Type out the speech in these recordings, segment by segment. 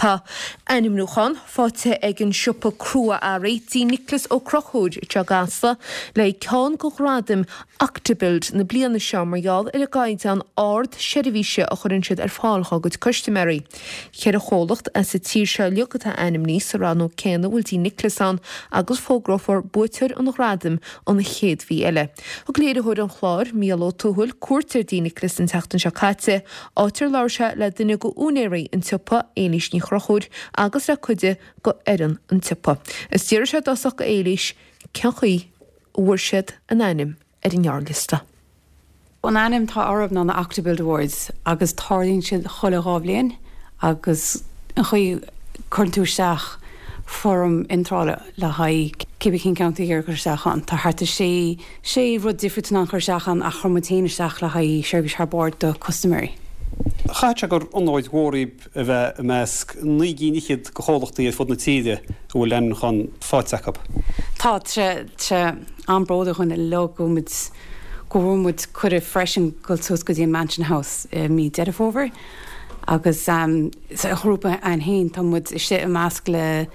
Tá ainmniúchán faighte ag an siopa crua-earraí Dí Nioclás Ó Conchúir anseo i gCasla le haghaidh ceann de ghradaim Octobuild na bliana seo mar gheall ar an gcaighdeán ard seirbhíse a chuireann siad ar fáil dhá gcuid custaiméirí. Cheithre chomhlacht as an tír seo uilig atá ainmnithe sa rannóg céanna a bhfuil Dí Nioclás ann agus fógrófar buaiteoir an ghradaim an chéad mhí eile. Thug léiritheoir an chláir, Mícheál Ó Tuathail, cuairt ar Dí Nioclás an tseachtain seo caite, áit ar labhair sé le duine de úinéirí an tsiopa, Éilís Ní Chonchúir, agus le cuid de fhoireann an tsiopa. Is d'fhiafraigh sé i dtosach de Éilís cén chaoi a bhfuair siad a n-ainm ar an ngearrliosta. An ainm atá orthu ná na Octobuild Awards agus tarlaíonn siad chuile 2 bhliain agus an chaoi cuireann tú isteach foirm iontrála le haghaidh cibé cén ceann tú ag iarraidh cur isteach ann. Tá thart ar sé sé rud difriúil tú in ann cur isteach ann ach chuir muid féin isteach le haghaidh seirbhís thar barr do custaiméirí. Chaithfeadh sé gur onóir mhór dhaoib a bheith i measc 9 gcinn fhichead de chomhlachtaí ar fud na tíre a bhfuil ainmniúchán faighte acu. Tá sé sé an-bhródúil dhúinn uilig go bhfuil muid go bhfuair muid cuireadh freisin dul suas go dtí an Mansion House i mí Deireadh Fómhair agus sa ghrúpa againn féin tá muid istigh i measc le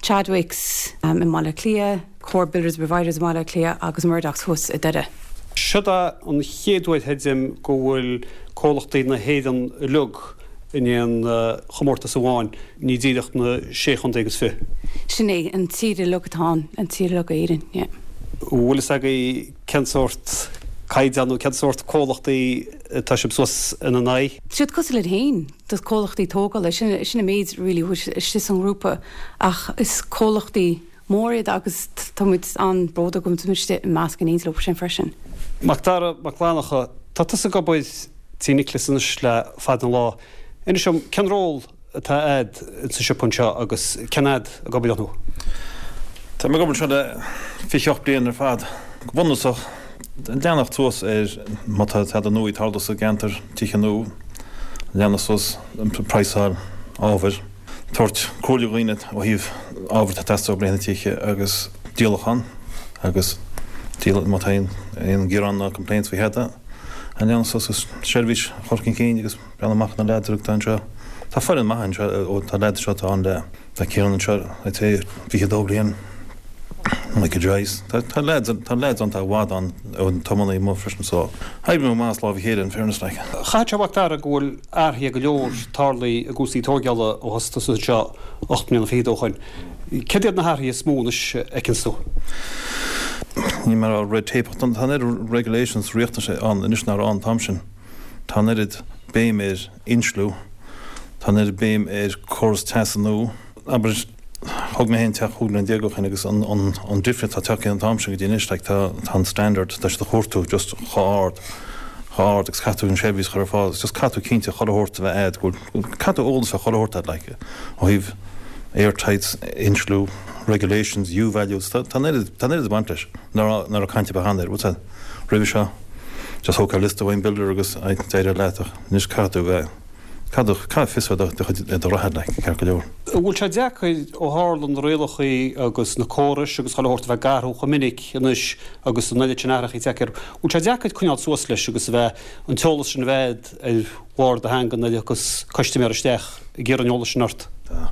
Chadwicks i mBaile Átha Cliath, Comhar Builders and Providers i mBaile Átha Cliath agus Murdochs thuas i Doire. Siod é an chéad uair chreidim go bhfuil comhlachtaí na hÉireann uilig in aon chomórtas amháin, ní díreach na sé chontae agus fiche. Sin é, an tír uilig atá ann, an tír uilig Éirinn, yeah. Bhfuil fhios agaibh cén sórt caighdeán nó cén sórt comhlachtaí atá sibh suas ina n-aghaidh? Siad cosúil linn féin, do comhlachtaí tógála, sin sin an méid really a bhfuil istigh sa ngrúpa ach is comhlachtaí mór iad agus tá muid an-bhródúil go bhfuil muid istigh i measc in éindí leo sin freisin. Macdara Mac Fhlannchadha, tá tusa ag obair Tí Nioclás anois le fada an lá. Inis dom, cén ról atá a'd insa siopa anseo agus cén fhad ag obair atá tú? Tá mé ag obair anseo le 28 bliain ar fad. Go bunúsach, leanacht suas ar má tá tada nua ag tarlú sa gceantar, tithe nua, leanacht suas praghsáil ábhair. tabhairt comhairle do dhaoine ó thaobh ábhar atá ag teastáil le na tithe agus díolachán agus díol má tá aon ghearán ná complaints faoi thada a leanacht suas agus seirbhís a chur chun cinn agus breathnú amach ar na leaids atá anseo. Tá foireann maith anseo ó tá leaids anseo atá ann le tá Ciarán anseo I'd say 22 bliain Michael Joyce tá tá leaids tá leaids ann tá i bhfad ann ó tiománaí amuigh freisin so oibríonn muid maith as lámh a chéile in fairness like. Chaithfeadh sé a Mhac Dara go bhfuil athruithe go leor tarlaithe i gcúrsaí tóigeála ó thosaigh tusa anseo 8 mbliana fichead ó shoin. Céard iad na hathruithe is mó anois a fheiceanns tú? Níl mé ag rá red tape ach tá an oiread regulations riachtanais ann anois nach raibh ann an t-am sin. Tá an oiread béim ar insliú, tá an oiread béim ar córas teasa nua. Abair, thóg mé féin teach 15 bliain ó shin agus an an difríocht atá tagtha ón t-am sin go dtí anois, like tá tá an standard, tá siad ag cuartú just chomh ard, chomh ard agus caithfidh tú an seirbhís a chur ar fáil agus just caithfidh tú cinnte chuile shórt a bheith a'd go bhfuil, caithfidh tú eolas ar chuile shórt a'd like ó thaobh airtights, insliú, regulations, U-values, tá tá an oiread, tá an oiread ag baint leis nach raibh nach raibh caint ar bith cheana air, what's that, roimhe seo just thógfá liosta ón builder agus d'éireodh leat ach anois caithfidh tú a bheith. Caithfidh fios a bheith do chuid do reatha like, ceart go leor. An bhfuil sé deacair ó tharla na rialachaí agus na córais agus chuile shórt a bheith ag athrú chomh minic anois agus an oiread sin athrachaí tagtha air, an bhfuil sé deacair coinneáil suas leis agus a bheith, an t-eolas sin a bheith ar bharr do theanga nuair a thiocfas custaiméir isteach ag iarraidh an eolais sin ort? Tá.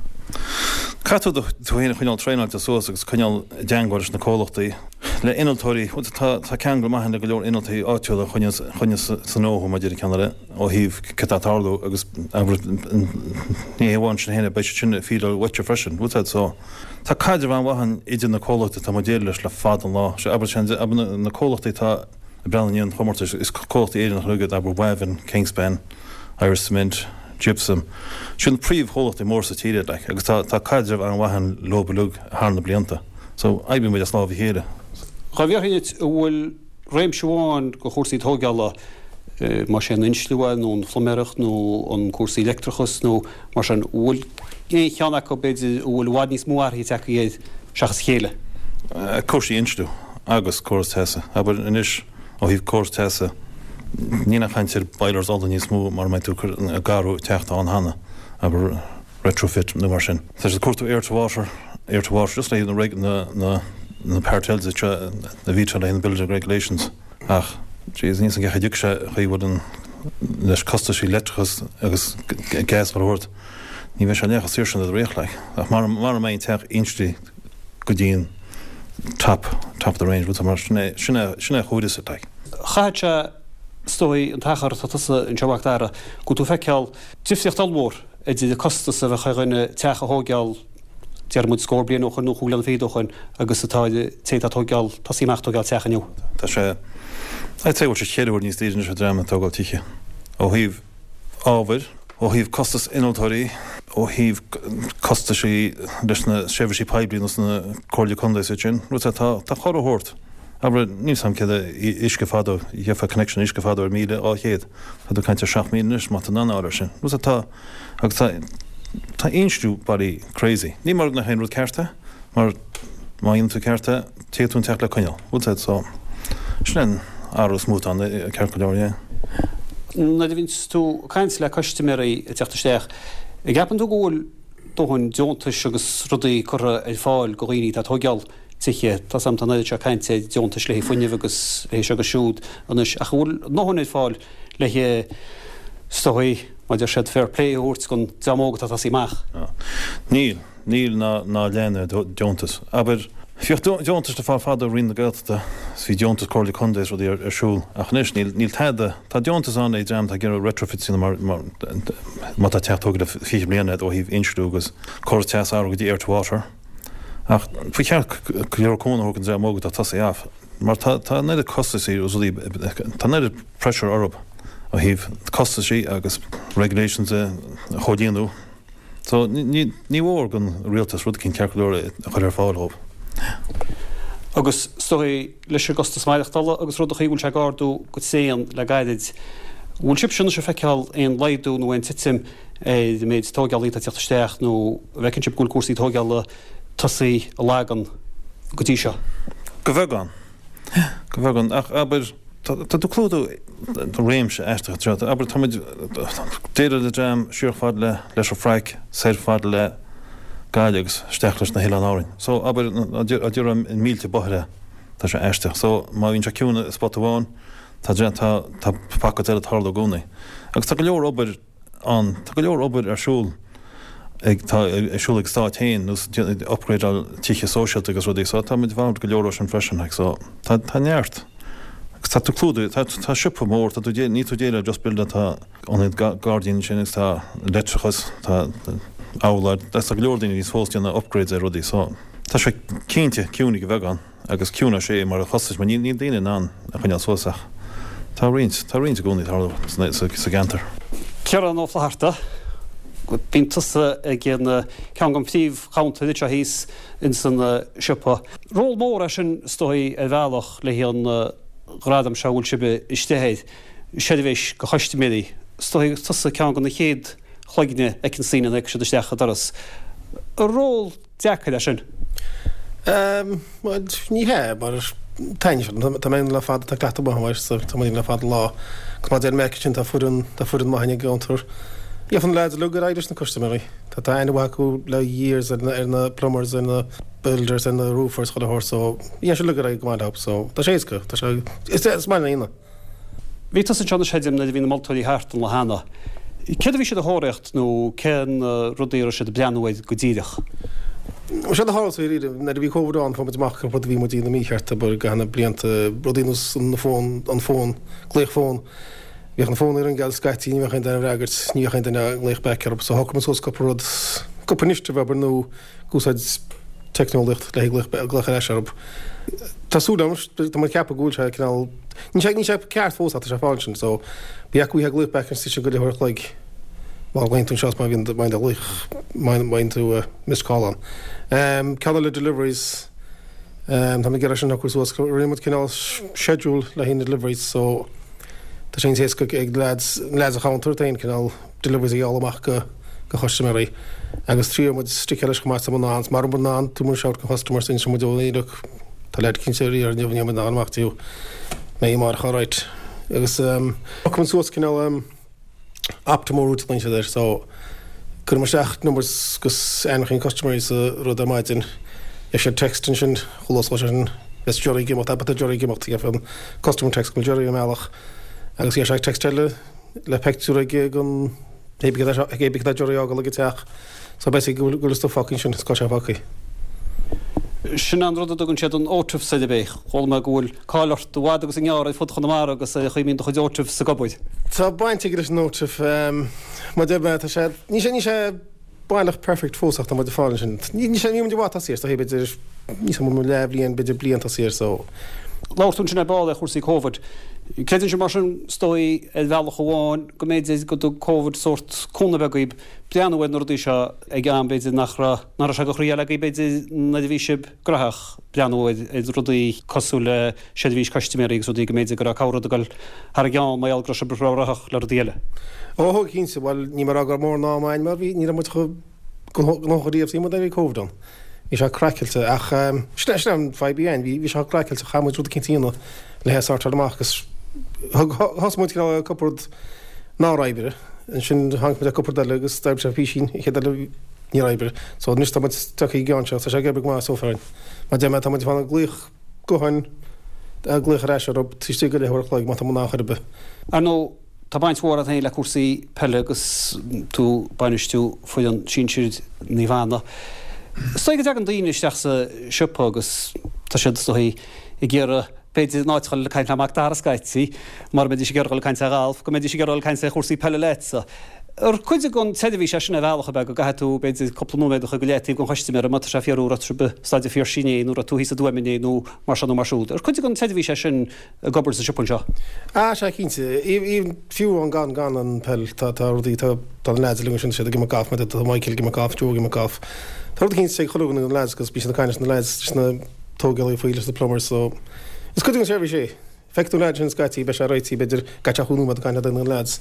Caithfidh tú tú féin a choinneáil traenáilte suas agus coinneáil i dteangmháil leis na comhlachtaí, le innealtóirí, tá tá ceangal maith le go leor innealtóirí áitiúla a choinneos choinneos sa ngnó mar a deir an ceann eile. ó thaobh cad tá ag tarlú agus abair ní hé amháin sin féin beidh siad sin ag fíleáil uaitse freisin bhfuil fhios a'd so tá caidreamh an-mhaith ann idir na comhlachtaí atá muid ag déileáil leis le fada an lá sé abair sin abair na comhlachtaí atá ag breathnú i ndiaidh an chomórtais is comhlachtaí Éireannacha uilig iad abair Wavin, Kingspan, Irish Cement, Gypsum sin na príomhchomhlachtaí móra sa tír iad like agus tá tá caidreamh an-mhaith ann leo uilig thar na blianta so oibríonn muid as lámh a chéile. Dhá bhfiafraí duit an bhfuil réimse amháin de chúrsaí tóigeála, más é an insliú é nó an phluiméireacht nó an cúrsaí leictreachas nó mar sin, an bhfuil aon cheann acu b'fhéidir a bhfuil i bhfad níos mó athraithe tagtha air seachas a chéile? Cúrsaí insliú agus córas teasa. Abair anois ó thaobh córas teasa, níl aon chaint ar boilers ola níos mó mura mbeidh tú ag athrú teach atá ann cheana, abair. retrofit nó mar sin. Tá siad ag cuartú air to water, air to water, just le haghaidh na na na Part Ls a bhí le haghaidh na building regulations ach jeez níl 's agam cén chaoi a dtiocfaidh sé chaoi bhfuil an leis costaisí leictreachas agus gas mar a thabhairt. Ní bheidh sé leath chomh saor sin do do riocht, like. Ach mara mbeidh an teach inslithe go dtí an top, top of the range, bhfuil tú mar sin é, sin é, sin é a chóireas it, like. Chaithfeadh sé, is dóigh, an t-achar atá tusa anseo a Mhac Dara, go bhfuil tú ag feiceáil difríocht ollmhór idir an costas a bheadh ar dhuine teach a thóigeáil, déarfaidh muid scór bliain ó shoin nó chúig bliana fichead ó shoin agus atá ar an té atá ag tóigeáil, tosaí amach ag tóigeáil teach inniu. Tá sé, I'd say go bhfuil sé cheithre huaire níos daoire anois do dhream ag tógáil tithe ó thaobh ábhair, ó thaobh costas innealtóirí, ó thaobh costaisí leis na seirbhísí poiblí nós na Comhairle Contae is iad sin, rud tá tá chuile shórt. Abair, níl 's a'm céad uisce fadó, gheofá connection uisce fadó ar 1,200, tá tú ag caint ar 7,000 anois má tá tú in ann a fháil air sin. Rud tá agus tá tá insliú bailí crazy. Ní mar nach é an rud ceart é, mar má dhéanann tú ceart é, Téann tú an teach le coinneáil. Bhfuil 's a'd so. Sin é an athrú is mó atá ann, ceart go leor, yeah. Nuair a bhíonns tú ag caint le custaiméirí ag teacht isteach, an gceapann tú go bhfuil dóthain deontais agus rudaí curtha ar fáil go dhaoine atá ag tóigeáil tithe? Tá 's a'm tá an oiread seo cainte ar deontais le haghaidh fuinnimh agus le haghaidh seo agus siúd anois ach an bhfuil a ndóthain ar fáil le haghaidh, is dóigh, mar a deir siad, fair play a thabhairt don dream óg atá ag tosaí amach? Níl. Níl ná ná lean deontas. Abair, bhíodh deontais le fáil fadó ó Roinn na Gaeltachta is bhí deontas Comhairle Contae is rudaí ar siúl ach anois níl níl tada. Tá deontas ann ag dream atá ag iarraidh retrofits a dhéanamh mar má tá teach tógtha le 20 bliain agat ó thaobh insliú agus córas teas a athrú go dtí air to water. Ach ba cheart go leor cúnamh a thabhairt don dream óg atá ag tosaí off mar tá tá an oiread costaisí agus rudaí tá an oiread pressure orthu ó thaobh costaisí agus regulations a chomhlíonadh. So, ní mhór don rialtas rud eicínt ceart go leor a chur ar fáil dhóibh. Agus is dóigh, leis an gcostas maireachtála agus rudachaí, bhfuil sé ag ardú go tréan le gairid. Bhfuil sibhse anois ag feiceáil aon laghdú nó aon titim ar an méid tóigeálaí atá ag teacht isteach nó an bhfeiceann sibh go bhfuil cúrsaí tóigeála tosaithe a lagan go dtí seo? Go bheagán. Go bheagán. Ach abair, tá tú ag clúdú réimse aisteach anseo. Abair, tá muid déileáil le dream siar fad le leis an Frainc, soir fad le Gaillimh agus isteach leis na hOileáin Árainn. So, abair, a déarfá in mílte bóithre, tá sé aisteach. So, má bhíonn sé ciúin i spota amháin, tá tá tá pockets eile ag tarlú i gcónaí. Agus tá go leor obair ann. Tá go leor obair ar siúl ag tá ar siúl ag an stát féin nós upgradeáil tithe sóisialta agus rudaí so tá muid involved go leor ó sin freisin like so tá tá neart agus tá tú clúdaithe tá tá siopa mór tá tú dé níl tú déileáil just builder tá ionad gairdín ansin agus tá leictreachas tá abhláid tá go leor daoine a bhíonns fós déanamh upgrades ar rudaí so tá sé cinnte ciúin ag a bheagán. Agus ciúin ar sé mar a chostais mar níl daoine in ann a choinneáil suas ach tá roinnt, tá roinnt i gcónaí ag tarlú sa gceantar. Ciarán Ó Flatharta, bíonn tusa ag an ceann den phríomh-chuntair anseo thíos ins an siopa. Ról mór é sin is dóigh ar bhealach le haghaidh an ghradam seo a bhfuil sibh istigh air, seirbhís go chustaiméirí. Is dóigh tusa ceann de na chéad chloigne a fheiceann daoine nuair a thiocfaidh siad isteach an doras. Ról deacair é sin? Bhuel, ní hea, mar taitníonn sé. Tá mé ann le fada, tá cleachtadh maith agam air, so tá muid ann le fada lá. Agus mar a deir Mac ansin, tá foireann, tá foireann maith againn ag an gcounter. Gheobhaidh na lads uilig ar aghaidh leis na custaiméirí. Tá tá aithne mhaith acu le years ar na, ar na plumbers, ar na builders, ar na roofers, chuile shórt, so dhéan siad uilig ar aghaidh go maith leo, so tá sé éasca, tá sé, is, is maith linn é. Bhí tusa anseo anois a Fheidhm nuair a bhí na moltóirí thart an lá cheana. Céard a bhí siad a thóraíocht nó cén rudaí a raibh siad ag breathnú air go díreach? Séard a tharla sa nuair a bhí Covid ann fuair muid amach cúpla rud a bhí muid a dhéanamh mícheart abair i gcaitheamh na blianta, rudaí nós an fón, an fón, glaoch fón. Bhíodh an fón ag ringeáil scaití, ní bheadh aon duine ag freagairt, ní bheadh aon duine ag glaoch back orthu. So shocraigh muid suas cúpla rud, cúpla initiative abair nó ag úsáid teicneolaíocht le haghaidh glaoch ar ais orthu. Tá súil agam, tá mé ag ceapadh go bhfuil sé cineál, níl sé, níl sé ceart fós ach tá sé fáil sin, so ba dheacair uaithe glaoch back an go leath uair a chloig má ghlaonn tú anseo is má bhíonn, má bhíonn do ghlaoch, má bhíonn tú missed call ann. Ceann eile deliveries, tá mé ag iarraidh sin a shocrú suas, rinne muid cineál schedule le haghaidh na deliveries so tá sé níos éasca ag lads, lads an chounter féin cineál deliveries a ghealladh amach go go chustaiméirí agus triail muid sticeáil leis chomh maith is muid in ann mara bhfuil in ann tabharfaidh muid shout go customers inseoidh muid ó look tá leaid cinnte ar iarraidh inniu níl muid in ann amach dtí mbeidh amárach alright agus shocraigh muid suas cineál um optimal route a ghlaonn siad air so cuirim isteach numbers agus ainmneacha na custaiméirí sa rud ar maidin gheobhaidh siad text ansin chomh luath is sin beidh Jerry ag imeacht abair tá Jerry ag imeacht gheobhaidh an customer text go bhfuil Jerry i mbealach agus gheobhaidh sé text eile le peictiúr ag an. Cé bith cad tá d'iarraidh a fhágáil ag an teach so beidh go bhfuil an stuif fágtha ansin is cá sé fágtha. Sin an rud a dtugann siad an OTIF air ab é? Chuala mé go bhfuil cáil ort i bhfad agus i ngearr ar fud Chonamara agus ar an chaoi a mbíonn do chuid OTIFs ag obair. Tá baint aige leis an OTIF. Mar deir mé, tá sé, níl sé, níl sé baileach perfect fós ach tá muid ag fáil ansin. Níl sé, níl muid i bhfad tosaithe air, is dóichí b'fhéidir, níl sé mar leathbhliain, b'fhéidir bliain tosaithe air so. Labhair tú ansin ar ball ar chúrsaí Covid. Creideann sibh mar sin, is dóigh, ar bhealach amháin, go mb'fhéidir go dtug Covid sórt cúnamh beag dhaoib breathnú ar na rudaí seo ag am b'fhéidir nach raibh, nach raibh sé de chroí-eile agaibh b'fhéidir nuair a bhí sibh graitheach breathnú ar ar rudaí cosúil le seirbhís custaiméirí agus rudaí go mb'fhéidir go raibh corr-rud ag dul thar a gceann mar gheall go raibh sibh ró-ghnóthach le rudaí eile. Ó thug cinnte, bhuel níl mé ag rá go raibh mórán ama againn mar bhí, ní raibh muid chomh gnóthach ariamh is bhí muid nuair a bhí Covid ann. Bhí sé craiceáilte ach sin é sin an fadhb a bhí againn, bhí bhí sé craiceáilte, chaith muid rud eicínt a dhéanamh le é a sortáil amach agus thug thosaigh muid cineál cúpla rud nár oibrigh, ansin tháinig muid ar cúpla rud eile agus d'oibrigh sé písín, an chéad eile níor oibrigh. So anois tá muid tagtha ag an gceann seo, tá sé ag oibriú go maith so far. Mar deir mé tá muid ag fanacht glaoch gutháin, glaoch ar ais orthu taobh istigh de leathuair a chloig má tá muid in ann chor ar bith. Ar ndóigh, Tá baint mhór agat féin le cúrsaí peile agus tú ag bainistiú foireann sinsir Naomh Anna. Is dóigh go dtagann daoine isteach sa siopa agus tá siad is dóigh ag iarraidh b'fhéidir in áit a dhul ag caint le Mac Dara scaití, mura mbeidís ag iarraidh dul ag caint ar ghalf, go mbeidís ag iarraidh dul ag caint ar chúrsaí peile leatsa. Ar cuid den tseirbhís é sin ar bhealach ab ea go gcaithfidh tú b'fhéidir cúpla nóiméad a chur go leataobh don chustaiméara má tá sé fíor an raibh sibh i Staid an Phiarsaigh inné nó raibh tú thíos i dTuaim inné nó mar seo nó mar siúd. Ar cuid den tseirbhís é sin ag obair sa siopa anseo? Ah, sea, cinnte. Even fiú amháin gan, gan an peil, tá, tá rudaí, tá, tá na leaids uilig ansin, tá siad ag imirt galf, mar tá Michael ag imirt galf, Joe ag imirt galf. Tá rud eicínt ag chuile dhuine de na leaids agus bíonn siad ag caint leis na leaids, leis na tógálaithe faoi, leis na plumbers, so is cuid den seirbhís é. Feicfidh tú an leaid sin scaití, beidh sé réitithe, b'fhéidir, gcaithfidh sé chúig nóiméad ag caint le duine de na leaids.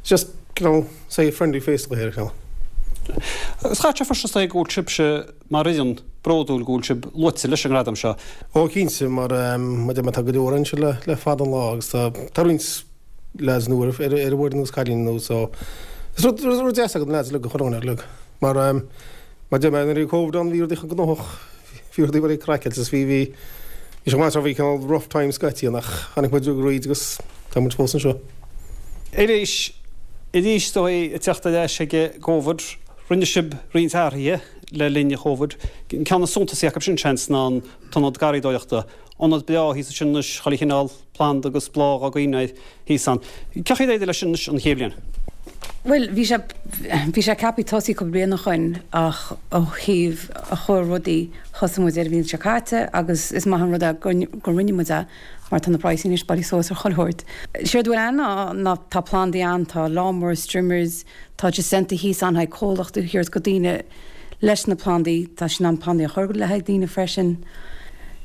It's just, you know, say friendly face a here, you know. Agus chaithfeadh sé freisin is dóigh go bhfuil sibhse mar fhoireann, bródúil go bhfuil sibh luaite leis an ngradam seo. Ó cinnte, mar mar deir mé tá go leor anseo le le fada an lá agus tá tá roinnt lads nua ar ar an bhfoireann agus cailíní nua so is rud rud deas agat na lads uilig a chur ann uilig mar mar deir mé nuair a bhí Covid ann bhí rudaí chomh gnóthach bhí rudaí very craiceáilte is bhí bhí bhí sé maith bhí cineál rough times scaití ann ach tháinig muid thríd agus tá muid fós anseo. Arís, arís is dóigh ag teacht ar ais ag an gCovid, rinne sibh roinnt athruithe le linn an Chovid. An ceann is suntasaí acu sin, seans, ná an t-ionad garraíodóireachta. Ionad breá thíos ansin anois, chuile chineál planda agus bláth á gcoinneáil air thíos ann. Cén chaoi ar éirigh leis sin anois an chéad bhliain? Bhuel, bhí sé, bhí sé ceaptha tosaí cúpla bliain ó shoin ach ó thaobh a chuir rudaí, thosaigh muid ar an bhliain seo caite agus is maith an rud é go, go rinne muid é mar tá na praghsanna anois bailithe suas ar chuile shórt. Séard a bhfuil ann ná, ná tá plandaí ann, tá lawnmowers, trimmers, Tá Jacinta thíos ann le haghaidh comhlacht a thabhairt go daoine leis na plandaí. Tá sí in ann plandaí a chur le haghaidh daoine freisin.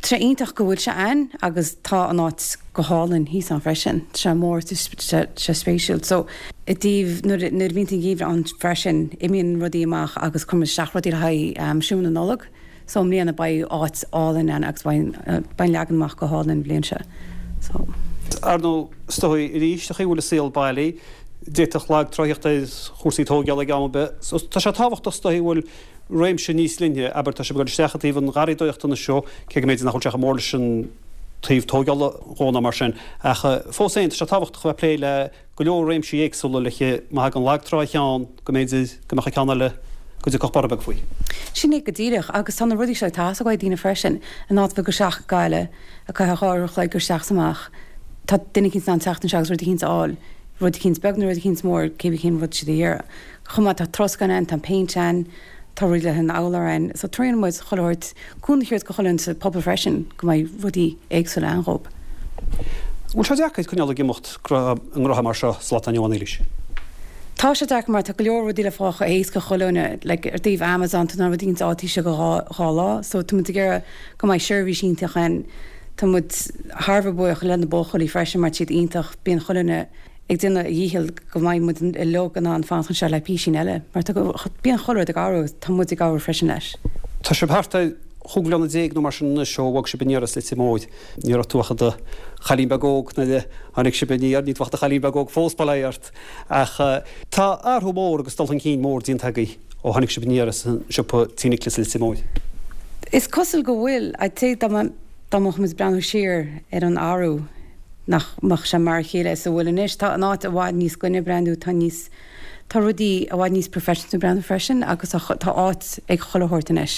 Tá sé iontach go bhfuil sé ann agus tá an áit go hálainn thíos ann freisin. Tá sé mór, tá sé spéisiúil. So, i dtaobh nuair nuair a bhíonn an geimhreadh ann freisin, imíonn rudaí amach agus cuireann muid isteach rudaí le haghaidh siúl na Nollag. So i mbliana beidh áit álainn ann agus beidh an leagan amach go hálainn an bhliain seo. So. Ar ndóigh, is dóigh arís, an chaoi a bhfuil an saol bailí, d'fhéadfadh lag trá theacht ar chúrsaí tóigeála ag am ar bith. So tá sé tábhachtach is dóigh go bhfuil réimse níos leithne, abair, tá sibh ag dul isteach i dtaobh an gharraíodóireachta anois seo, cé go mb'fhéidir nach bhfuil sé chomh mór leis an taobh tóigeála dhó ná mar sin, ach fós féin tá sé tábhachtach a bheith ag plé le go leor réimsí éagsúla le má thagann lag trá ar cheann go mb'fhéidir go mbeadh an ceann eile go dtiocfadh borradh beag faoi. Sin é go díreach, agus tá na rudaí seo ag teastáil uaidh daoine freisin, in áit bheith ag dul isteach go Gaillimh, ag caitheamh dhá uair a chloig isteach is amach, tá duine eicínt in ann teacht anseo agus rud eicínt a fháil, rud eicínt beag nó rud eicínt mór, cébí cén rud siad a iarraidh. Chomh maith tá troscán ann, tá péint ann, tá rudaí le haghaidh an urláir ann, so triaileann muid chuile shórt cúnamh a thabhairt go chuile dhuine sa phobal freisin go mbeidh rudaí éagsúla ann dhób. Bhfuil sé deacair coinneáil ag imeacht i ngnótha mar seo sa lá atá inniu ann, Éilís? Tá sé deacair mar tá go leor rudaí le fáil chomh héasca chuile dhuine, like ar taobh Amazon tá na rudaí ins áit taobh istigh de dhá dhá lá so tá muid ag iarraidh go mbeidh seirbhís iontach ann. Tá muid thar a bheith buíoch le na buachaillí freisin mar tá siad iontach, bíonn chuile dhuine ag déanamh a dhícheall go mbeidh muid uilig in ann fanacht anseo le písín eile mar tá bíonn chuile rud ag athrú agus tá muid ag athrú freisin leis. Tá sibh thart ar chúig bhliana déag nó mar sin anois ó bhog sibh aniar as Leitir Móir. Ní raibh tú ach i do chailín beag óg nuair a tháinig sibh aniar, níl tú ach i do chailín beag óg fós, bail ó Dhia ort. Ach tá athrú mór agus dul chun cinn mór déanta agaibh ó tháinig sibh aniar as an siopa Tí Nioclás i Leitir Móir. Is cosúil go bhfuil. I'd say dá mbeadh muid ag breathnú siar ar an athrú, nach mbeadh sé mar a chéile is a bhfuil anois. Tá an áit i bhfad níos glaine breathnú, tá níos. Tá rudaí i bhfad níos professional breathnú freisin agus tá áit ag chuile shórt anois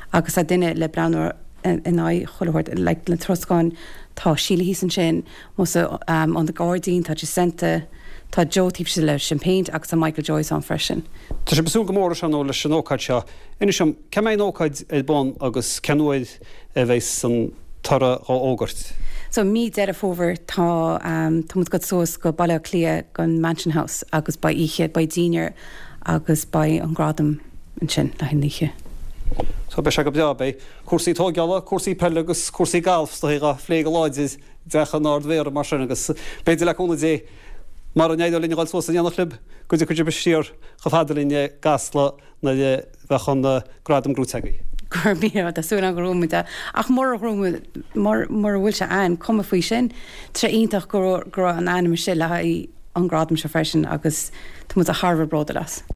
agus tá duine le breathnú in aghaidh chuile shórt, like na troscáin, tá Síle thíos ansin, musa on the gairdín, tá Jacinta, tá Joe taobh istigh leis an péint agus tá Michael Joyce ann freisin. Tá sibh ag súil go mór leis, ar ndóigh, leis an ócáid seo. Inis dom, cá mbeidh an ócáid ar bun agus cén uair a bheidh an toradh dhá fhógairt? So mí Deireadh Fómhair tá tá muid ag dul suas go Baile Átha Cliath gon Mansion House agus beidh oíche, beidh dinnéar agus beidh an gradam ansin le haghaidh an oíche. So beidh sé go breá, beidh cúrsaí tóigeála, cúrsaí peile agus cúrsaí gailf is dóigh dhá phlé go láidir i dteach an Ard-Mhéara mar sin agus b'fhéidir le cúnamh Dé mara n-éireoidh linn a dhul suas in éineacht libh go dtiocfaidh sibh siar chomh fada linn i gCasla nuair a bheadh an gradam gnóite agaibh. Go raibh míle maith, tá súil agam go ngnóthóidh muid é. Ach mura ngnóthóidh muid, mura bhfuil sé ann, cuma faoi sin. Tá sé iontach go raibh an ainm istigh le haghaidh an gradam seo freisin agus tá muid thar a bheith bródúil as.